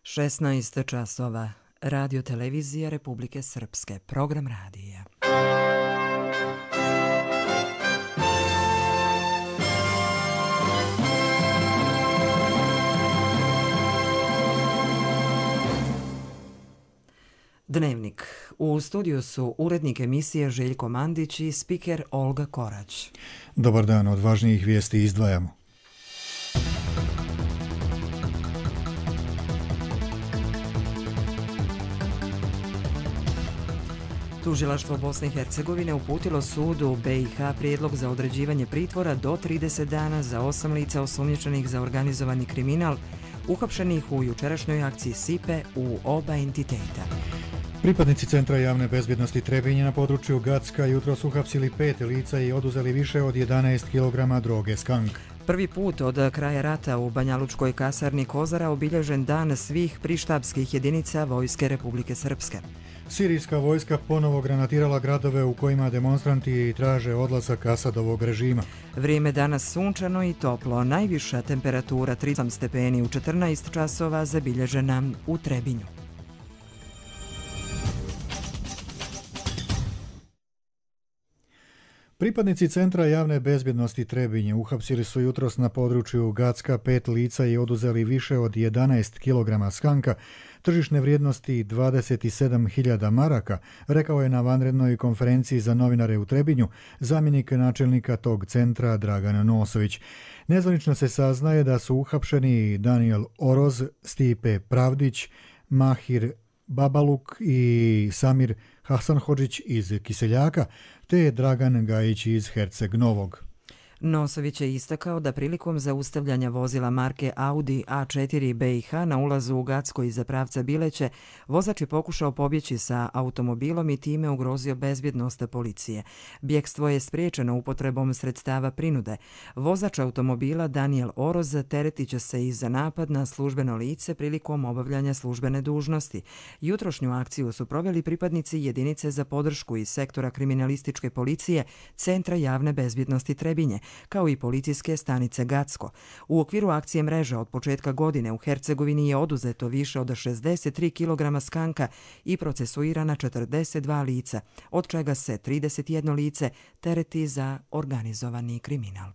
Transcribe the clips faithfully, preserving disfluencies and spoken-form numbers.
šesnaest časova. Radio televizija Republike Srpske. Program radija. Dnevnik. U studiju su urednik emisije Željko Mandić i spiker Olga Korać. Dobar dan, od važnijih vijesti izdvajamo. Tužilaštvo Bosne i Hercegovine uputilo sudu be i ha prijedlog za određivanje pritvora do trideset dana za osam lica osumnjičenih za organizovani kriminal uhapšenih u jučerašnjoj akciji Sipe u oba entiteta. Pripadnici Centra javne bezbjednosti Trebinje na području Gacka jutros su uhapsili pet lica i oduzeli više od jedanaest kilograma droge skank. Prvi put od kraja rata u Banjalučkoj kasarni Kozara obilježen dan svih prištabskih jedinica Vojske Republike Srpske. Sirijska vojska ponovo granatirala gradove u kojima demonstranti traže odlazak Asadovog režima. Vrijeme danas sunčano i toplo. Najviša temperatura trideset osam stepeni u četrnaest časova zabilježena u Trebinju. Pripadnici Centra javne bezbjednosti Trebinje uhapsili su jutros na području Gacka pet lica i oduzeli više od jedanaest kilograma skanka, tržišne vrijednosti dvadeset sedam hiljada maraka, rekao je na vanrednoj konferenciji za novinare u Trebinju zamjenik načelnika tog centra Dragan Nosović. Nezvanično se saznaje da su uhapšeni Daniel Oroz, Stipe Pravdić, Mahir Babaluk i Samir Hasanhodžić iz Kiseljaka, te Dragan Gajić iz Herceg Novog. Nosović je istakao da prilikom zaustavljanja vozila marke Audi A četiri be i ha na ulazu u Gacko iza pravca Bileće, vozač je pokušao pobjeći sa automobilom i time ugrozio bezbjednost policije. Bjekstvo je spriječeno upotrebom sredstava prinude. Vozač automobila Daniel Oroz teretit će se i za napad na službeno lice prilikom obavljanja službene dužnosti. Jutrošnju akciju su proveli pripadnici jedinice za podršku iz sektora kriminalističke policije Centra javne bezbjednosti Trebinje, kao i policijske stanice Gacko. U okviru akcije Mreža od početka godine u Hercegovini je oduzeto više od šezdeset tri kilograma skanka i procesuirana četrdeset dva lica, od čega se trideset jedno lice tereti za organizovani kriminal.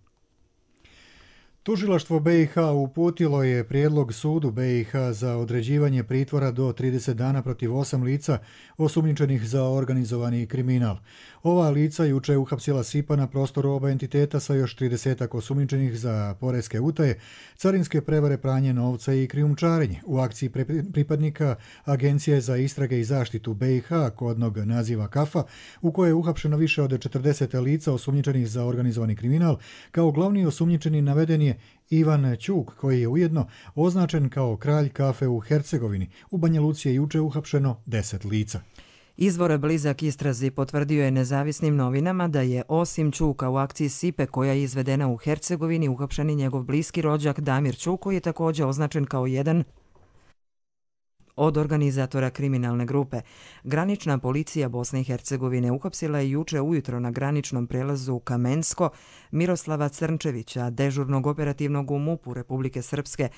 Tužilaštvo be i ha uputilo je prijedlog sudu be i ha za određivanje pritvora do trideset dana protiv osam lica osumnjičenih za organizovani kriminal. Ova lica juče je uhapsila Sipa na prostoru oba entiteta sa još tridesetak osumnjičenih za poreske utaje, carinske prevare, pranje novca i krijumčarenje. U akciji pripadnika Agencije za istrage i zaštitu be i ha, kodnog naziva Kafa, u kojoj je uhapšeno više od četrdeset lica osumnjičenih za organizovani kriminal, kao glavni osumnjičeni naveden je Ivan Ćuk, koji je ujedno označen kao kralj kafe u Hercegovini. U Banja Luci je juče uhapšeno deset lica. Izvor blizak istrazi potvrdio je nezavisnim novinama da je osim Ćuka u akciji Sipe koja je izvedena u Hercegovini uhapšen i njegov bliski rođak Damir Ćuk, koji je također označen kao jedan od organizatora kriminalne grupe. Granična policija Bosne i Hercegovine uhapsila je juče ujutro na graničnom prelazu Kamensko Miroslava Crnčevića, dežurnog operativnog u mupu Republike Srpske,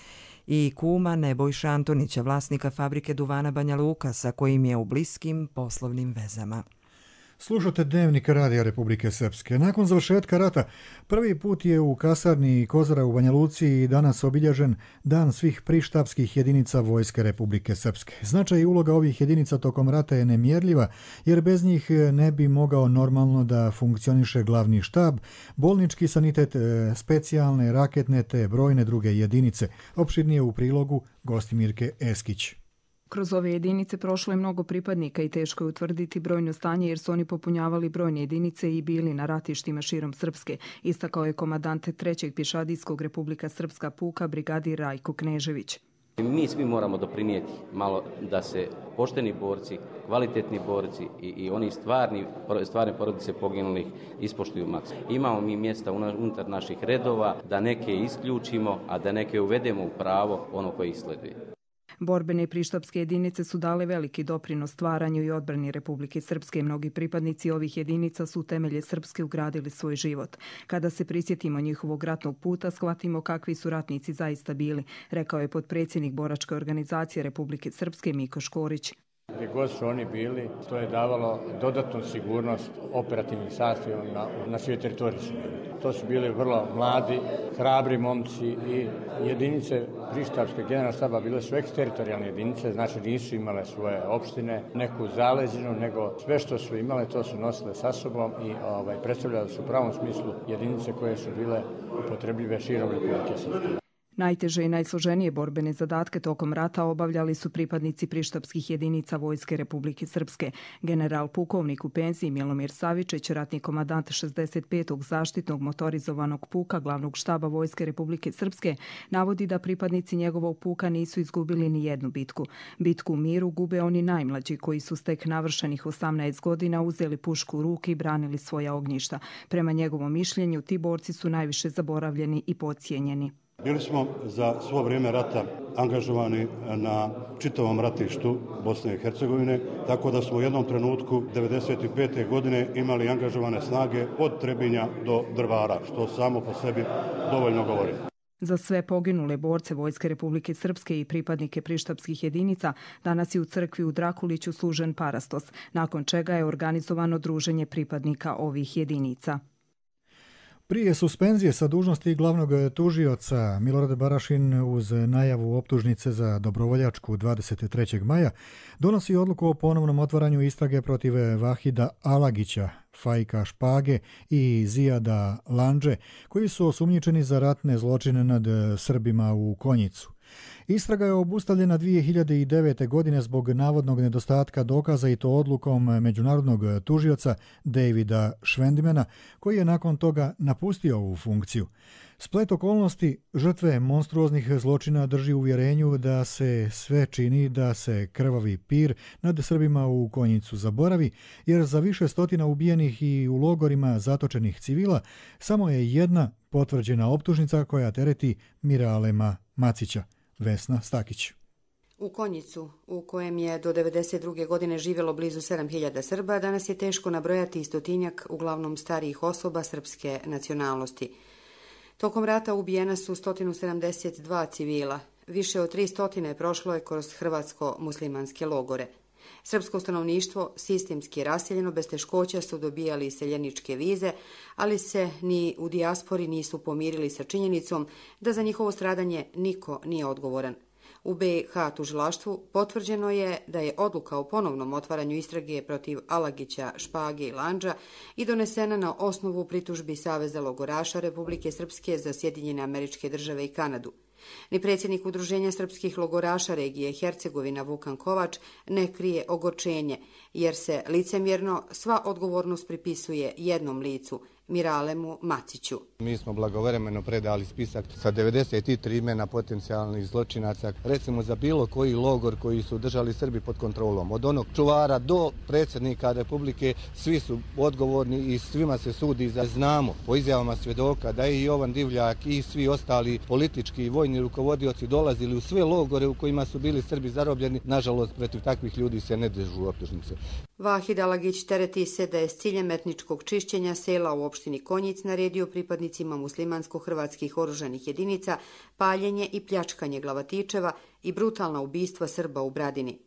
i kuma Nebojša Antonića, vlasnika fabrike duvana Banja Luka, sa kojim je u bliskim poslovnim vezama. Slušate Dnevnik Radija Republike Srpske. Nakon završetka rata, prvi put je u kasarni Kozara u Banja Luci danas obilježen dan svih prištabskih jedinica Vojske Republike Srpske. Značaj i uloga ovih jedinica tokom rata je nemjerljiva, jer bez njih ne bi mogao normalno da funkcioniše glavni štab, bolnički sanitet, specijalne, raketne te brojne druge jedinice. Opširnije u prilogu Gostimirke Eskić. Kroz ove jedinice prošlo je mnogo pripadnika i teško je utvrditi brojno stanje jer su oni popunjavali brojne jedinice i bili na ratištima širom Srpske, istakao je komandant trećeg pješadijskog Republika Srpska puka brigadir Rajko Knežević. Mi svi moramo doprinijeti malo da se pošteni borci, kvalitetni borci i, i oni stvarni, stvarne porodice poginulih ispoštuju maks. Imamo mi mjesta unutar naših redova da neke isključimo, a da neke uvedemo u pravo ono koje ih sleduje. Borbene i prištapske jedinice su dale veliki doprinos stvaranju i odbrani Republike Srpske. Mnogi pripadnici ovih jedinica su u temelje Srpske ugradili svoj život. Kada se prisjetimo njihovog ratnog puta, shvatimo kakvi su ratnici zaista bili, rekao je potpredsjednik Boračke organizacije Republike Srpske Miko Škorić. Gdje god su oni bili, to je davalo dodatnu sigurnost operativnih sastavima na, na svoj teritoriji. To su bili vrlo mladi, hrabri momci i jedinice prištapske generalnog štaba bile su eksteritorijalne jedinice, znači nisu imale svoje opštine, neku zaleđinu, nego sve što su imale to su nosile sa sobom i ovaj, predstavljale su u pravom smislu jedinice koje su bile upotrebljive širom Republike Srpske. Najteže i najsloženije borbene zadatke tokom rata obavljali su pripadnici prištapskih jedinica Vojske Republike Srpske. General pukovnik u penziji Milomir Savičić, ratni komadant šezdeset petog zaštitnog motorizovanog puka glavnog štaba Vojske Republike Srpske, navodi da pripadnici njegovog puka nisu izgubili ni jednu bitku. Bitku u miru gube oni najmlađi koji su tek navršenih osamnaest godina uzeli pušku u ruke i branili svoja ognjišta. Prema njegovom mišljenju, ti borci su najviše zaboravljeni i podcijenjeni. Bili smo za svo vrijeme rata angažovani na čitavom ratištu Bosne i Hercegovine, tako da smo u jednom trenutku devedeset pete. godine imali angažovane snage od Trebinja do Drvara, što samo po sebi dovoljno govori. Za sve poginule borce Vojske Republike Srpske i pripadnike prištapskih jedinica danas je u crkvi u Drakuliću služen parastos, nakon čega je organizovano druženje pripadnika ovih jedinica. Prije suspenzije sa dužnosti glavnog tužioca Milorad Barašin uz najavu optužnice za dobrovoljačku dvadeset trećeg maja donosi odluku o ponovnom otvaranju istrage protiv Vahida Alagića, Fajka Špage i Zijada Landže, koji su osumnjičeni za ratne zločine nad Srbima u Konjicu. Istraga je obustavljena dvije hiljade devete. godine zbog navodnog nedostatka dokaza i to odlukom međunarodnog tužioca Davida Švendimena, koji je nakon toga napustio ovu funkciju. Splet okolnosti žrtve monstruoznih zločina drži uvjerenju da se sve čini da se krvavi pir nad Srbima u Konjicu zaboravi, jer za više stotina ubijenih i u logorima zatočenih civila samo je jedna potvrđena optužnica koja tereti Miralema Macića. Vesna Stakić. U Konjicu, u kojem je do devedeset druge. godine živjelo blizu sedam hiljada Srba, danas je teško nabrojati stotinjak uglavnom starijih osoba srpske nacionalnosti. Tokom rata ubijena su sto sedamdeset dva civila, više od tristo prošlo je kroz hrvatsko-muslimanske logore. Srpsko stanovništvo sistemski raseljeno bez teškoća su dobijali iseljeničke vize, ali se ni u dijaspori nisu pomirili sa činjenicom da za njihovo stradanje niko nije odgovoran. U be i ha tužilaštvu potvrđeno je da je odluka o ponovnom otvaranju istrage protiv Alagića, Špage i Landža i donesena na osnovu pritužbi Saveza logoraša Republike Srpske za Sjedinjene Američke Države i Kanadu. Ni predsjednik Udruženja srpskih logoraša regije Hercegovina Vukan Kovač ne krije ogorčenje, jer se licemjerno sva odgovornost pripisuje jednom licu, Miralemu Maciću. Mi smo blagovremeno predali spisak sa devedeset tri imena potencijalnih zločinaca, recimo za bilo koji logor koji su držali Srbi pod kontrolom. Od onog čuvara do predsjednika Republike, svi su odgovorni i svima se sudi. Za znamo po izjavama svjedoka da je i Jovan Divljak i svi ostali politički i vojni rukovodioci dolazili u sve logore u kojima su bili Srbi zarobljeni. Nažalost, protiv takvih ljudi se ne dižu optužnice. Vahid Alagić tereti se da je s ciljem etničkog čišćenja sela u opštini Konjic naredio pripadnicima muslimansko-hrvatskih oružanih jedinica paljenje i pljačkanje glavatičeva i brutalna ubistva Srba u Bradini.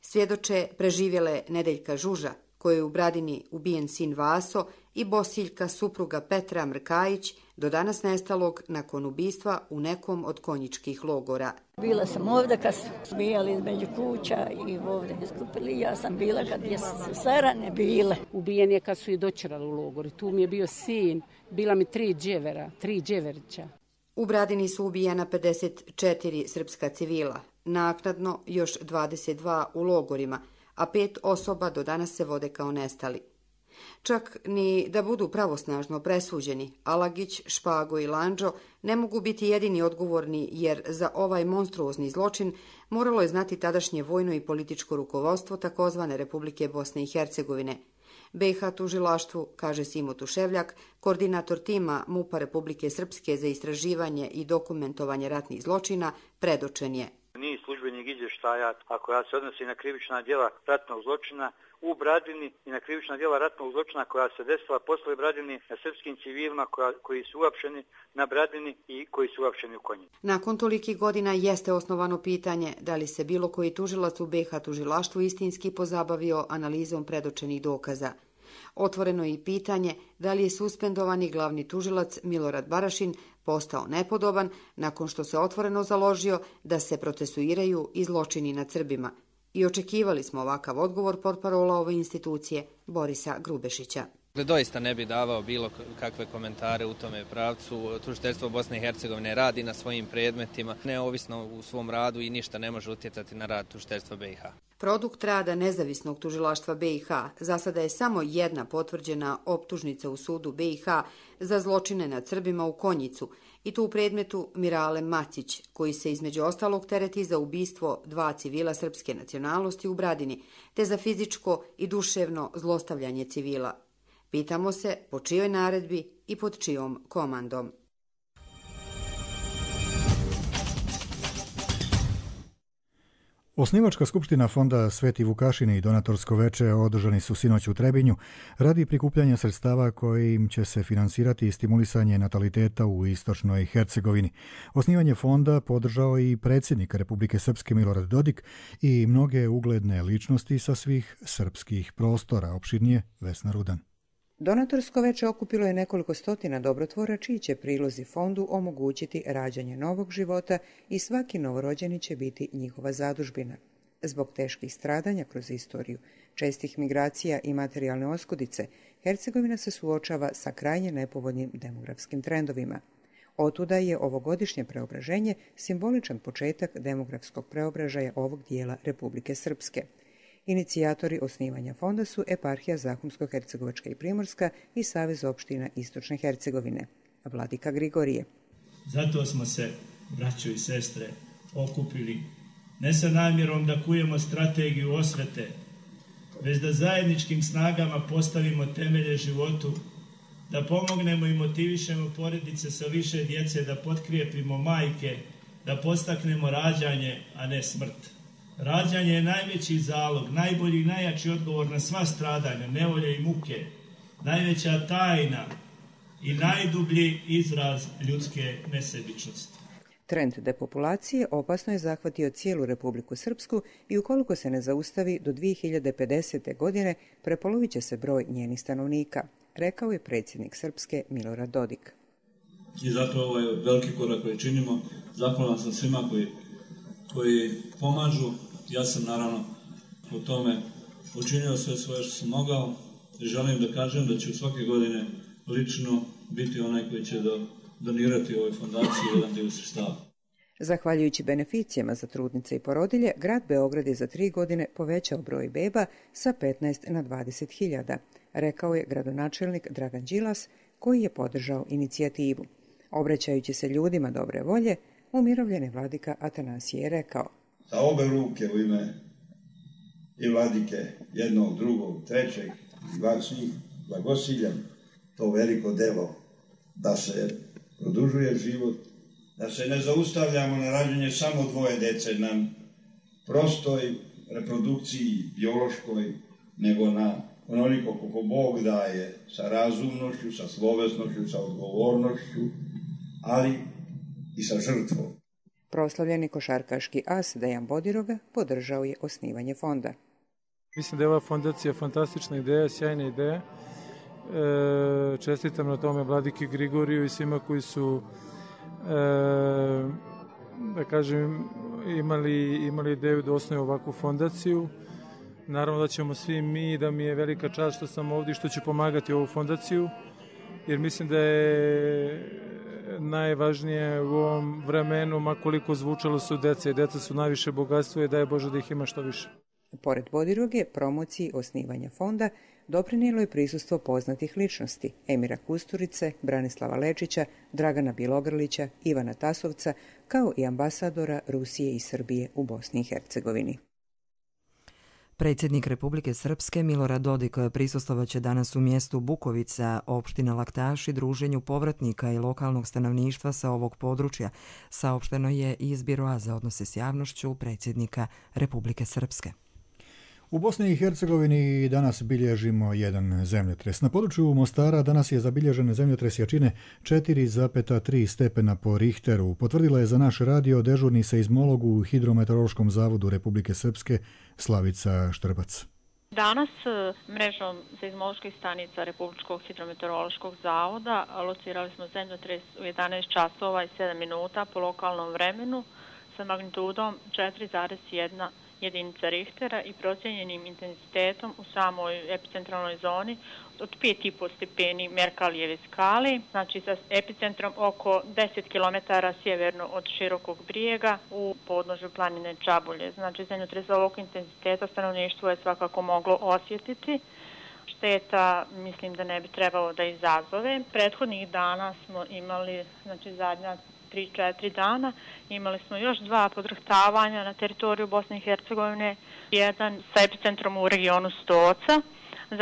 Svjedoče preživjele Nedeljka Žuža, kojoj je u Bradini ubijen sin Vaso, i Bosiljka, supruga Petra Mrkajić, do danas nestalog nakon ubistva u nekom od konjičkih logora. Bila sam ovdje kad su bijali između kuća i ovdje iskupili. Ja sam bila kad je sve rane bile. Ubijen je kad su i dočerali u logori. Tu mi je bio sin, bila mi tri dževera, tri dževerića. U Bradini su ubijena pedeset četiri srpska civila, naknadno još dvadeset dva u logorima, a pet osoba do danas se vode kao nestali. Čak ni da budu pravosnažno presuđeni, Alagić, Špago i Landžo ne mogu biti jedini odgovorni, jer za ovaj monstruozni zločin moralo je znati tadašnje vojno i političko rukovodstvo takozvane Republike Bosne i Hercegovine. be i ha tužilaštvu, kaže Simo Tuševljak, koordinator tima MUP-a Republike Srpske za istraživanje i dokumentovanje ratnih zločina, predočen je. Niz službenih izvještaja prekršaja, a koja se odnosi na krivična djela ratnog zločina u Bradini i na krivična djela ratnog zločina koja se desila posle Bradini na srpskim civilima koja, koji su uapšeni na Bradini i koji su uapšeni u Konjici. Nakon tolikih godina jeste osnovano pitanje da li se bilo koji tužilac u B iH tužilaštvu istinski pozabavio analizom predočenih dokaza. Otvoreno je i pitanje da li je suspendovani glavni tužilac Milorad Barašin postao nepodoban nakon što se otvoreno založio da se procesuiraju i zločini nad Srbima. I očekivali smo ovakav odgovor portparola ove institucije Borisa Grubešića. Doista ne bi davao bilo kakve komentare u tome pravcu. Tužiteljstvo Bosne i Hercegovine radi na svojim predmetima, neovisno u svom radu i ništa ne može utjecati na rad tužiteljstva B iH. Produkt rada nezavisnog tužilaštva B iH za sada je samo jedna potvrđena optužnica u sudu B iH za zločine nad Srbima u Konjicu i to u predmetu Mirale Macić, koji se između ostalog tereti za ubistvo dva civila srpske nacionalnosti u Bradini, te za fizičko i duševno zlostavljanje civila. Pitamo se po čijoj naredbi i pod čijom komandom. Osnivačka skupština Fonda Sveti Vukašin i donatorsko veče održani su sinoć u Trebinju radi prikupljanja sredstava kojim će se finansirati stimulisanje nataliteta u istočnoj Hercegovini. Osnivanje fonda podržao i predsjednik Republike Srpske Milorad Dodik i mnoge ugledne ličnosti sa svih srpskih prostora. Opširnije Vesna Rudan. Donatorsko veče okupilo je nekoliko stotina dobrotvora čiji će prilozi fondu omogućiti rađanje novog života i svaki novorođeni će biti njihova zadužbina. Zbog teških stradanja kroz istoriju, čestih migracija i materijalne oskudice, Hercegovina se suočava sa krajnje nepovoljnim demografskim trendovima. Otuda je ovogodišnje preobraženje simboličan početak demografskog preobražaja ovog dijela Republike Srpske. Inicijatori osnivanja fonda su Eparhija Zahumsko-Hercegovačka i Primorska i Savez opština Istočne Hercegovine. Vladika Grigorije. Zato smo se, braćo i sestre, okupili ne sa namjerom da kujemo strategiju osvete, već da zajedničkim snagama postavimo temelje životu, da pomognemo i motivišemo porodice sa više djece, da potkrijepimo majke, da podstaknemo rađanje, a ne smrt. Rađanje je najveći zalog, najbolji i najjači odgovor na sva stradanja, nevolje i muke, najveća tajna i najdublji izraz ljudske nesebičnosti. Trend depopulacije opasno je zahvatio cijelu Republiku Srpsku i ukoliko se ne zaustavi do dvije hiljade pedesete. godine prepolovit će se broj njenih stanovnika, rekao je predsjednik Srpske Milorad Dodik. I zato ovo je veliki korak koji činimo. Zahvalan sam svima koji, koji pomažu. Ja sam naravno u tome učinio sve svoje što sam mogao i želim da kažem da ću svake godine lično biti onaj koji će do, donirati ovoj fondaciji jedan dio sredstava. Zahvaljujući beneficijama za trudnice i porodilje, grad Beograd je za tri godine povećao broj beba sa petnaest na dvadeset hiljada, rekao je gradonačelnik Dragan Đilas, koji je podržao inicijativu. Obraćajući se ljudima dobre volje, umirovljeni vladika Atanasije je rekao: sa obe ruke u ime i vladike, jednog, drugog, trećeg, i vas svih blagosiljam to veliko delo da se produžuje život, da se ne zaustavljamo na rađanje samo dvoje dece, na prostoj reprodukciji biološkoj, nego na onoliko koliko Bog daje, sa razumnošću, sa slovesnošću, sa odgovornošću, ali i sa žrtvom. Proslavljeni košarkaški as Dejan Bodiroga podržao je osnivanje fonda. Mislim da je ova fondacija fantastična ideja, sjajna ideja. E, čestitam na tome vladiki Grigoriju i svima koji su e, da kažem imali, imali ideju da osnuju ovakvu fondaciju. Naravno da ćemo svi mi, da mi je velika čast što sam ovdje, što ću pomagati ovu fondaciju, jer mislim da je najvažnije u ovom vremenu, makoliko zvučalo su deca i deca su najviše bogatstvo i daje Bože da ih ima što više. Pored Bodiroge, promociji osnivanja fonda doprinijelo je prisustvo poznatih ličnosti Emira Kusturice, Branislava Lečića, Dragana Bilogrlića, Ivana Tasovca, kao i ambasadora Rusije i Srbije u Bosni i Hercegovini. Predsjednik Republike Srpske Milorad Dodik prisustvovaće danas u mjestu Bukovica, opština Laktaši, druženju povratnika i lokalnog stanovništva sa ovog područja, saopšteno je iz Biroa za odnose s javnošću predsjednika Republike Srpske. U Bosni i Hercegovini danas bilježimo jedan zemljotres. Na području Mostara danas je zabilježen zemljotres jačine četiri zarez tri stepena po Richteru. Potvrdila je za naš radio dežurni seizmolog u Hidrometeorološkom zavodu Republike Srpske Slavica Štrbac. Danas mrežom seizmoloških stanica Republičkog hidrometeorološkog zavoda locirali smo zemljotres u jedanaest časova i sedam minuta po lokalnom vremenu sa magnitudom četiri zarez jedna jedinica Richtera i procijenjenim intenzitetom u samoj epicentralnoj zoni od pet i po stepeni Merkalijeve skale, znači sa epicentrom oko deset kilometara sjeverno od Širokog brijega u podnožju planine Čabulje. Znači zemljotres ovog intenziteta stanovništvo je svakako moglo osjetiti. Šteta mislim da ne bi trebalo da izazove. Prethodnih dana smo imali, znači zadnja tri četiri dana, imali smo još dva podrhtavanja na teritoriju Bosne i Hercegovine, jedan sa epicentrom u regionu Stoca,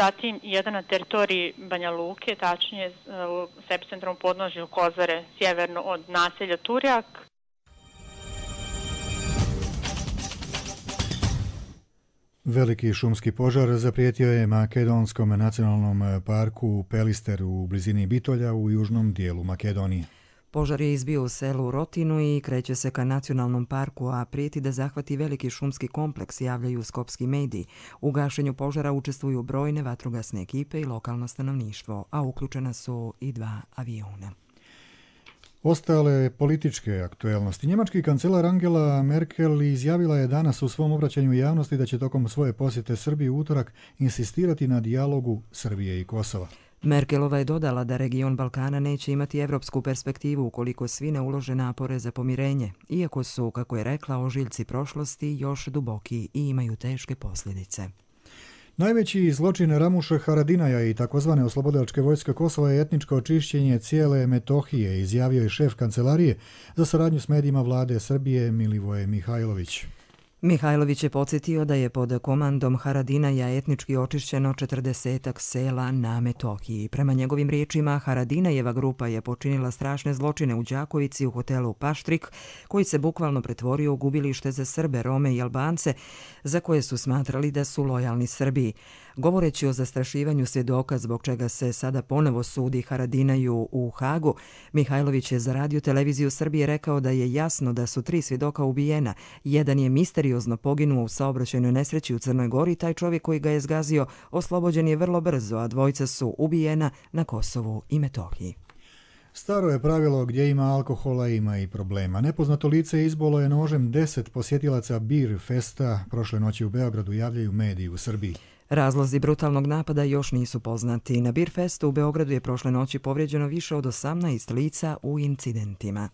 zatim jedan na teritoriji Banja Luke, tačnije s epicentrom u podnožju Kozare, sjeverno od naselja Turjak. Veliki šumski požar zaprijetio je Makedonskom nacionalnom parku Pelister u blizini Bitolja u južnom dijelu Makedonije. Požar je izbio u selu Rotinu i kreće se ka nacionalnom parku, a prijeti da zahvati veliki šumski kompleks, javljaju skopski mediji. U gašenju požara učestvuju brojne vatrogasne ekipe i lokalno stanovništvo, a uključena su i dva aviona. Ostale političke aktuelnosti. Njemački kancelar Angela Merkel izjavila je danas u svom obraćanju javnosti da će tokom svoje posjete Srbiji u utorak insistirati na dijalogu Srbije i Kosova. Merkelova je dodala da region Balkana neće imati evropsku perspektivu ukoliko svi ne ulože napore za pomirenje, iako su, kako je rekla, ožiljci prošlosti još duboki i imaju teške posljedice. Najveći zločin Ramuša Haradinaja i takozvane oslobodilačke vojske Kosova je etničko očišćenje cijele Metohije, izjavio je šef kancelarije za saradnju s medijima vlade Srbije Milivoje Mihajlović. Mihajlović je podsjetio da je pod komandom Haradinaja etnički očišćeno četrdesetak sela na Metohiji. Prema njegovim riječima, Haradinajeva grupa je počinila strašne zločine u Đakovici u hotelu Paštrik, koji se bukvalno pretvorio u gubilište za Srbe, Rome i Albance, za koje su smatrali da su lojalni Srbiji. Govoreći o zastrašivanju svjedoka zbog čega se sada ponovo sudi Haradinaju u Hagu, Mihajlović je za radio televiziju Srbije rekao da je jasno da su tri svjedoka ubijena. Jedan je misteriozno poginuo u saobraćajnoj nesreći u Crnoj Gori, taj čovjek koji ga je zgazio oslobođen je vrlo brzo, a dvojica su ubijena na Kosovu i Metohiji. Staro je pravilo gdje ima alkohola ima i problema. Nepoznato lice izbolo je nožem deset posjetilaca Beer Festa prošle noći u Beogradu, javljaju mediji u Srbiji. Razlozi brutalnog napada još nisu poznati. Na Beer Festu u Beogradu je prošle noći povrijeđeno više od osamnaest lica u incidentima.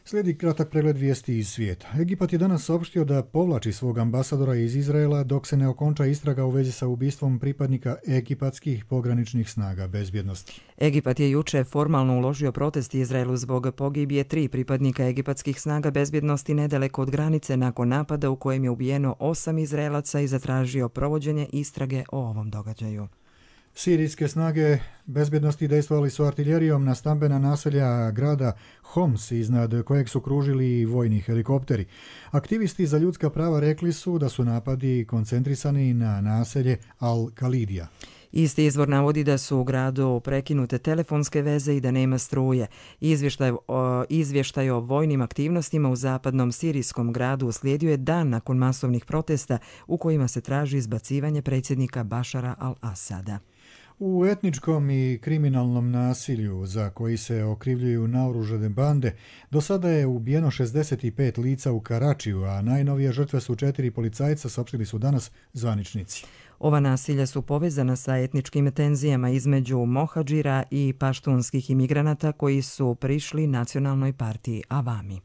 Slijedi kratak pregled vijesti iz svijeta. Egipat je danas saopštio da povlači svog ambasadora iz Izraela dok se ne okonča istraga u vezi sa ubistvom pripadnika egipatskih pograničnih snaga bezbjednosti. Egipat je juče formalno uložio protest Izraelu zbog pogibije tri pripadnika egipatskih snaga bezbjednosti nedaleko od granice nakon napada u kojem je ubijeno osam Izraelaca i zatražio provođenje istrage o ovom događaju. Sirijske snage bezbjednosti dejstvovali su artiljerijom na stambena naselja grada Homs, iznad kojeg su kružili vojni helikopteri. Aktivisti za ljudska prava rekli su da su napadi koncentrisani na naselje Al-Kalidija. Isti izvor navodi da su u gradu prekinute telefonske veze i da nema struje. Izvještaj o, izvještaj o vojnim aktivnostima u zapadnom sirijskom gradu uslijedio je dan nakon masovnih protesta u kojima se traži izbacivanje predsjednika Bašara al-Asada. U etničkom i kriminalnom nasilju za koji se okrivljuju naoružane bande, do sada je ubijeno šezdeset pet lica u Karačiju, a najnovije žrtve su četiri policajca, saopštili su danas zvaničnici. Ova nasilja su povezana sa etničkim tenzijama između mohadžira i paštunskih imigranata koji su prišli nacionalnoj partiji Avami.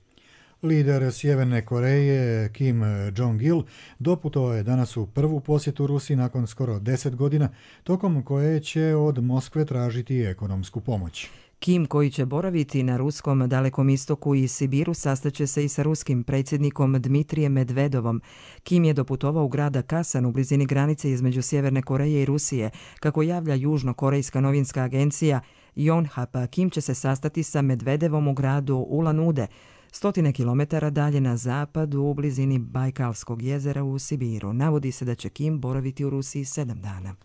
Lider Sjeverne Koreje Kim Jong-il doputovao je danas u prvu posjetu Rusiji nakon skoro deset godina, tokom koje će od Moskve tražiti ekonomsku pomoć. Kim, koji će boraviti na ruskom Dalekom istoku i Sibiru, sastaće se i sa ruskim predsjednikom Dmitrijem Medvedovom. Kim je doputovao u grada Kasan u blizini granice između Sjeverne Koreje i Rusije. Kako javlja južnokorejska novinska agencija Yonhap, Kim će se sastati sa Medvedevom u gradu Ulan-Ude, stotine kilometara dalje na zapadu u blizini Bajkalskog jezera u Sibiru. Navodi se da će Kim boraviti u Rusiji sedam dana.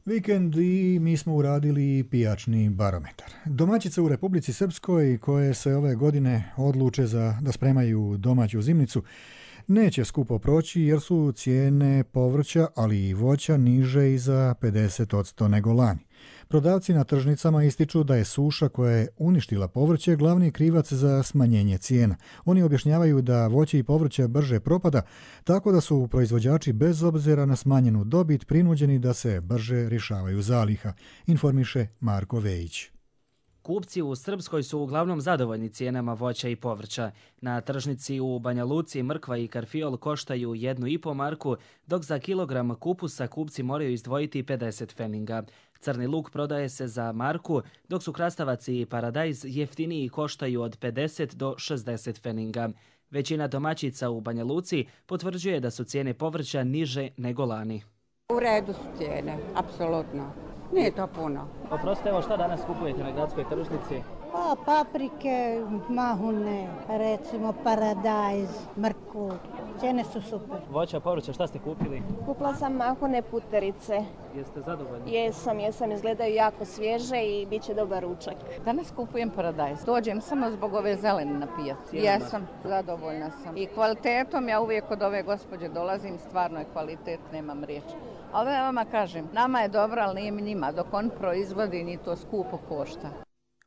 Vikend i mi smo uradili pijačni barometar. Domaćice u Republici Srpskoj koje se ove godine odluče za da spremaju domaću zimnicu neće skupo proći jer su cijene povrća, ali i voća niže i za pedeset posto nego lani. Prodavci na tržnicama ističu da je suša koja je uništila povrće glavni krivac za smanjenje cijena. Oni objašnjavaju da voće i povrće brže propada, tako da su proizvođači bez obzira na smanjenu dobit prinuđeni da se brže rješavaju zaliha, informiše Marko Vejić. Kupci u Srpskoj su uglavnom zadovoljni cijenama voća i povrća. Na tržnici u Banja Luci mrkva i karfiol koštaju jednu i po marku, dok za kilogram kupusa kupci moraju izdvojiti pedeset feninga. Crni luk prodaje se za marku, dok su krastavac i paradajz jeftiniji koštaju od pedeset do šezdeset feninga. Većina domaćica u Banja Luci potvrđuje da su cijene povrća niže nego lani. U redu su cijene, apsolutno. Nije to puno. Oprostite, evo šta danas kupujete na gradskoj tržnici? Pa, paprike, mahune, recimo paradajz, mrkvu. Cijene su super. Voća, povrća, šta ste kupili? Kupila sam mahune puterice. Jeste zadovoljni? Jesam, jesam, izgledaju jako svježe i bit će dobar ručak. Danas kupujem paradajz. Dođem samo zbog ove zelene na pijacu. Jesam, zadovoljna sam. I kvalitetom ja uvijek od ove gospođe dolazim, stvarno je kvalitet, nemam riječi. Ali ja vama kažem, nama je dobro, ali nije njima. Dok on proizvodi, ni to skupo košta.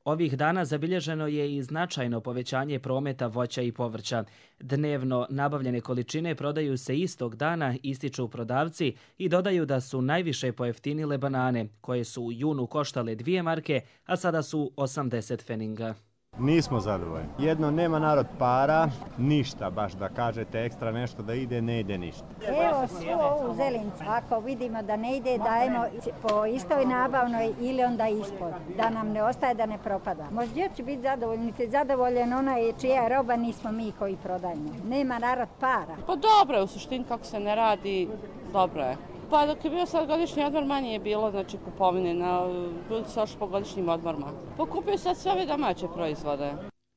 Ovih dana zabilježeno je i značajno povećanje prometa voća i povrća. Dnevno nabavljene količine prodaju se istog dana, ističu prodavci i dodaju da su najviše pojeftinile banane, koje su u junu koštale dvije marke, a sada su osamdeset feninga. Nismo zadovoljni. Jedno, nema narod para, ništa baš da kažete ekstra nešto da ide, ne ide ništa. Evo svu ovu zelenicu, ako vidimo da ne ide, dajemo po istoj nabavnoj ili onda ispod, da nam ne ostaje, da ne propada. Možda će biti zadovoljni, te zadovoljen onaj čija je roba, nismo mi koji prodajemo. Nema narod para. Pa dobro je u suštini kako se ne radi, dobro je. Pa dok je bio sad godišnji odmor, manje je bilo, znači kupovine, na, ljudi su ošli po godišnjim odmorima. Pokupio sad sve ove domaće proizvode.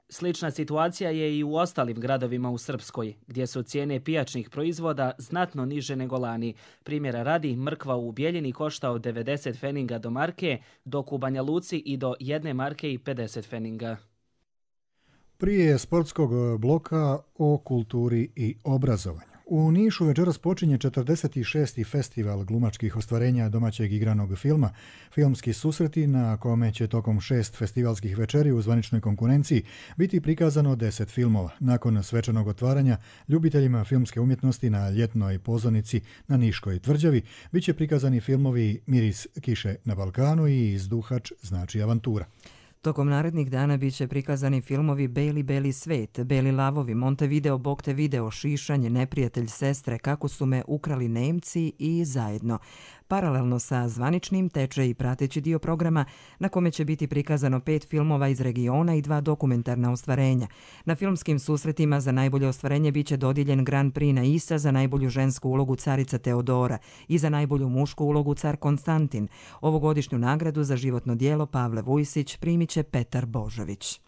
Slična situacija je i u ostalim gradovima u Srpskoj, gdje su cijene pijačnih proizvoda znatno niže nego lani. Primjera radi, mrkva u Bijeljini košta od devedeset feninga do marke, dok u Banja Luci i do jedne marke i pedeset feninga. Prije sportskog bloka o kulturi i obrazovanju. U Nišu večeras počinje četrdeset šesti festival glumačkih ostvarenja domaćeg igranog filma, Filmski susreti, na kome će tokom šest festivalskih večeri u zvaničnoj konkurenciji biti prikazano deset filmova. Nakon svečanog otvaranja, ljubiteljima filmske umjetnosti na ljetnoj pozornici na Niškoj tvrđavi bit će prikazani filmovi Miris kiše na Balkanu i Izduhač znači avantura. Tokom narednih dana bit će prikazani filmovi Beli, beli svet, Beli lavovi, Montevideo, Bog te video, Šišanje, Neprijatelj sestre, Kako su me ukrali Nemci i Zajedno. Paralelno sa zvaničnim teče i prateći dio programa na kome će biti prikazano pet filmova iz regiona i dva dokumentarna ostvarenja. Na filmskim susretima za najbolje ostvarenje bit će dodijeljen Grand Prix na Isa za najbolju žensku ulogu carica Teodora i za najbolju mušku ulogu car Konstantin. Ovogodišnju nagradu za životno djelo Pavle Vujsić primit će Petar Božović.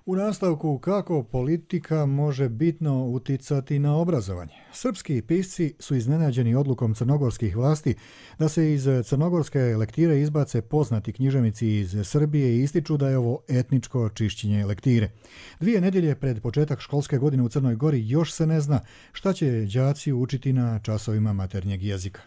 U nastavku kako politika može bitno uticati na obrazovanje. Srpski pisci su iznenađeni odlukom crnogorskih vlasti da se iz crnogorske lektire izbace poznati književnici iz Srbije i ističu da je ovo etničko čišćenje lektire. Dvije nedjelje pred početak školske godine u Crnoj Gori još se ne zna šta će đaci učiti na časovima maternjeg jezika.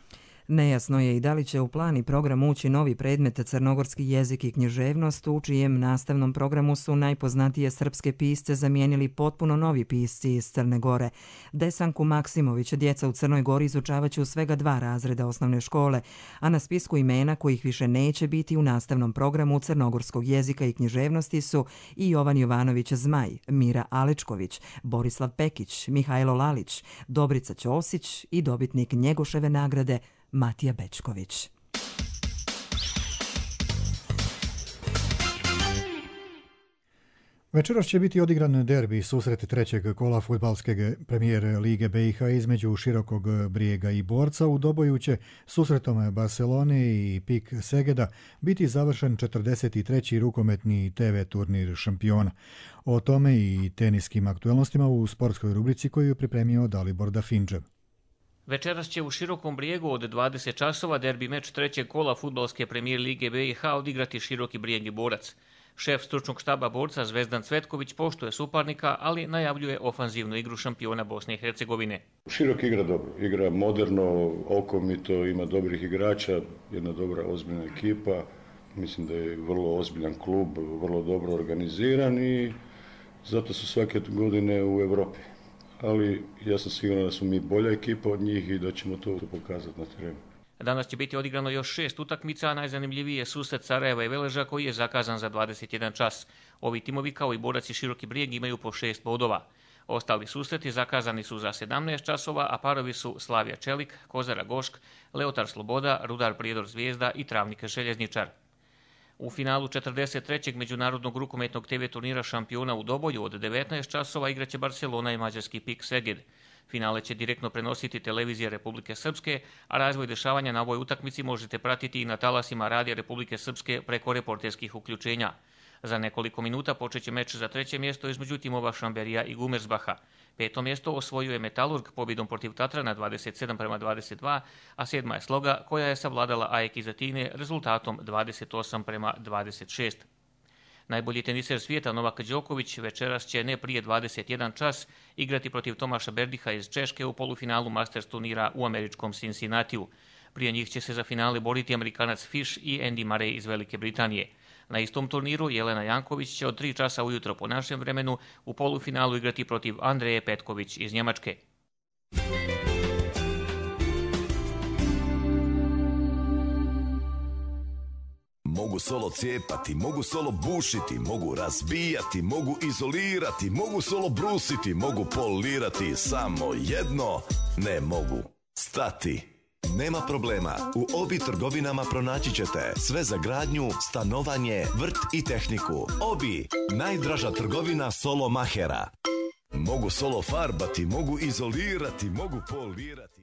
Nejasno je i da li će u plan i program ući novi predmet crnogorski jezik i književnost, u čijem nastavnom programu su najpoznatije srpske pisce zamijenili potpuno novi pisci iz Crne Gore. Desanku Maksimović djeca u Crnoj Gori izučavaće u svega dva razreda osnovne škole, a na spisku imena kojih više neće biti u nastavnom programu crnogorskog jezika i književnosti su i Jovan Jovanović Zmaj, Mira Alečković, Borislav Pekić, Mihajlo Lalić, Dobrica Ćosić i dobitnik Njegoševe nagrade Matija Bečković. Večeras će biti odigran derbi susret trećeg kola fudbalske premijer Lige B i H između Širokog Brijega i Borca. U doboju će susretom Barcelone i Pik Segeda biti završen četrdeset treći rukometni te ve turnir šampiona. O tome i teniskim aktualnostima u sportskoj rubrici koju je pripremio Dalibor Dafindžev. Večeras će u Širokom Brijegu od dvadeset časova derbi meč trećeg kola fudbalske premijer Lige B i H odigrati Široki Brijeg i Borac. Šef stručnog štaba Borca Zvezdan Cvetković poštuje suparnika, ali najavljuje ofanzivnu igru šampiona Bosne i Hercegovine. Širok igra dobro, igra moderno, okomito, ima dobrih igrača, jedna dobra ozbiljna ekipa. Mislim da je vrlo ozbiljan klub, vrlo dobro organiziran i zato su svake godine u Europi. Ali ja sam siguran da smo mi bolja ekipa od njih i da ćemo to pokazati na terenu. Danas će biti odigrano još šest utakmica, a najzanimljiviji je susret Sarajeva i Veleža koji je zakazan za dvadeset jedan čas. Ovi timovi kao i Borac i Široki Brijeg imaju po šest bodova. Ostali susreti zakazani su za sedamnaest časova, a parovi su Slavija Čelik, Kozara Gošk, Leotar Sloboda, Rudar Prijedor Zvijezda i Travnik Željezničar. U finalu četrdeset trećeg međunarodnog rukometnog te ve turnira šampiona u Doboju od devetnaest časova igraće Barcelona i mađarski Pik Seged. Finale će direktno prenositi televizija Republike Srpske, a razvoj dešavanja na ovoj utakmici možete pratiti i na talasima Radija Republike Srpske preko reporterskih uključenja. Za nekoliko minuta počeće meč za treće mjesto između timova Šamberija i Gumersbaha. Peto mjesto osvojuje Metalurg pobjedom protiv Tatrana dvadeset sedam prema dvadeset dva, a sedma je Sloga koja je savladala A E K iz Atine rezultatom dvadeset osam prema dvadeset šest. Najbolji teniser svijeta Novak Đoković večeras će ne prije dvadeset jedan čas igrati protiv Tomaša Berdiha iz Češke u polufinalu Masters turnira u američkom Cincinnatiju. Prije njih će se za finale boriti Amerikanac Fish i Andy Murray iz Velike Britanije. Na istom turniru Jelena Janković će od tri časa ujutro po našem vremenu u polufinalu igrati protiv Andreje Petković iz Njemačke. Mogu solo cijepati, mogu solo bušiti, mogu razbijati, mogu izolirati, mogu solo brusiti, mogu polirati, samo jedno ne mogu stati. Nema problema, u Obi trgovinama pronaći ćete sve za gradnju, stanovanje, vrt i tehniku. Obi, najdraža trgovina solo mahera. Mogu solo farbati, mogu izolirati, mogu polirati.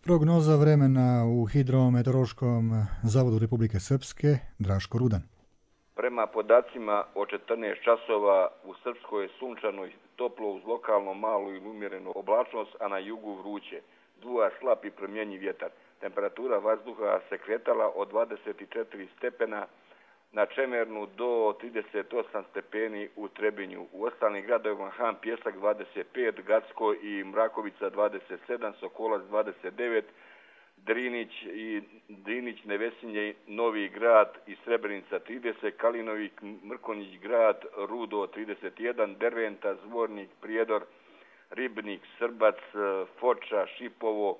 Prognoza vremena u Hidrometeorološkom zavodu Republike Srpske, Draško Rudan. Prema podacima o četrnaest časova u Srpskoj je sunčano i toplo uz lokalno malu i umjerenu oblačnost, a na jugu vruće. Duva slab i promjenjiv vjetar. Temperatura vazduha se kretala od dvadeset četiri stepena na Čemernu do trideset osam stepeni u Trebinju. U ostalim gradovima Han Pjesak dvadeset pet, Gacko i Mrakovica dvadeset sedam, Sokolac dvadeset devet, Drinić i Drinić, Nevesinje, Novi Grad i Srebrenica trideset, Kalinovik, Mrkonjić Grad, Rudo trideset jedan, Derventa, Zvornik, Prijedor, Ribnik, Srbac, Foča, Šipovo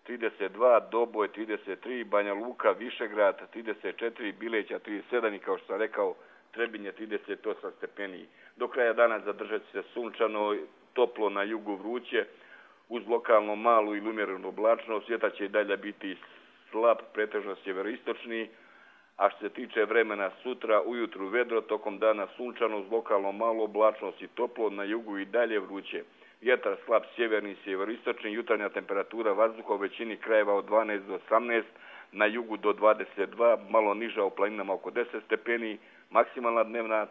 trideset dva, Doboj trideset tri, Banja Luka, Višegrad trideset četiri, Bileća trideset sedam i kao što sam rekao Trebinje trideset osam stepeni. Do kraja dana zadržat će se sunčano, toplo na jugu vruće, uz lokalno malu i umjerenu oblačnost. Vjetar će i dalje biti slab, pretežno sjeveroistočni, a što se tiče vremena sutra, ujutru vedro, tokom dana sunčano, uz lokalno malu oblačnost i toplo, na jugu i dalje vruće. Vjetar slab sjeverni i sjeveroistočni, jutarnja temperatura vazduha u većini krajeva od dvanaest do osamnaest, na jugu do dvadeset dva, malo niža u planinama oko deset stepeni, maksimalna dnevna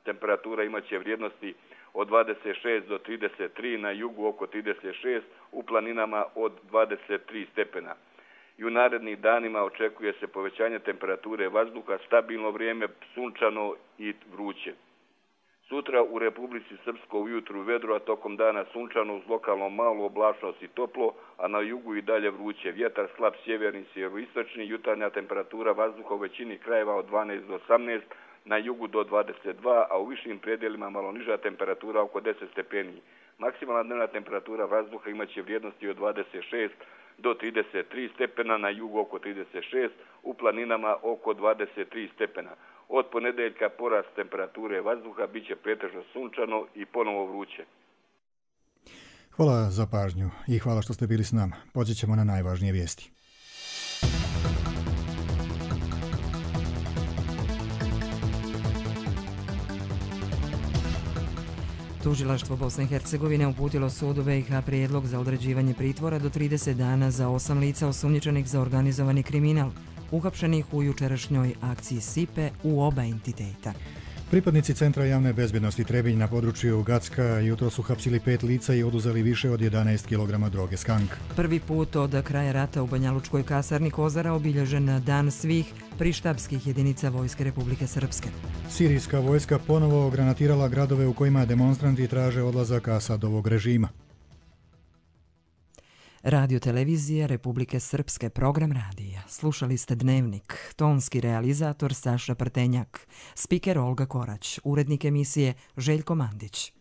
temperatura imaće vrijednosti od dvadeset šest do trideset tri, na jugu oko trideset šest, u planinama od dvadeset tri stepena. I u narednih danima očekuje se povećanje temperature vazduha, stabilno vrijeme, sunčano i vruće. Sutra u Republici Srpskoj ujutru vedro, a tokom dana sunčano uz lokalno malu oblačnost i toplo, a na jugu i dalje vruće. Vjetar slab sjeverni, sjeveroistočni, jutarnja temperatura vazduha u većini krajeva od dvanaest do osamnaest, na jugu do dvadeset dva, a u višim predjelima malo niža temperatura oko deset stepeni. Maksimalna dnevna temperatura vazduha imaće vrijednosti od dvadeset šest do trideset tri stepena, na jugu oko trideset šest, u planinama oko dvadeset tri stepena. Od ponedeljka porast temperature vazduha bit će pretežno sunčano i ponovo vruće. Hvala za pažnju i hvala što ste bili s nama. Pođet ćemo na najvažnije vijesti. Tužilaštvo Bosne i Hercegovine uputilo sudu B i H prijedlog za određivanje pritvora do trideset dana za osam lica osumnjičenih za organizovani kriminal, uhapšenih u jučerašnjoj akciji Sipe u oba entiteta. Pripadnici Centra javne bezbjednosti Trebinj na području Gacka jutro su hapsili pet lica i oduzeli više od jedanaest kilograma droge skank. Prvi put od kraja rata u Banjalučkoj kasarni Kozara obilježen dan svih prištabskih jedinica Vojske Republike Srpske. Sirijska vojska ponovo granatirala gradove u kojima demonstranti traže odlazak Asadovog režima. Radio televizija Republike Srpske, program radija. Slušali ste Dnevnik, tonski realizator Saša Prtenjak, spiker Olga Korać, urednik emisije Željko Mandić.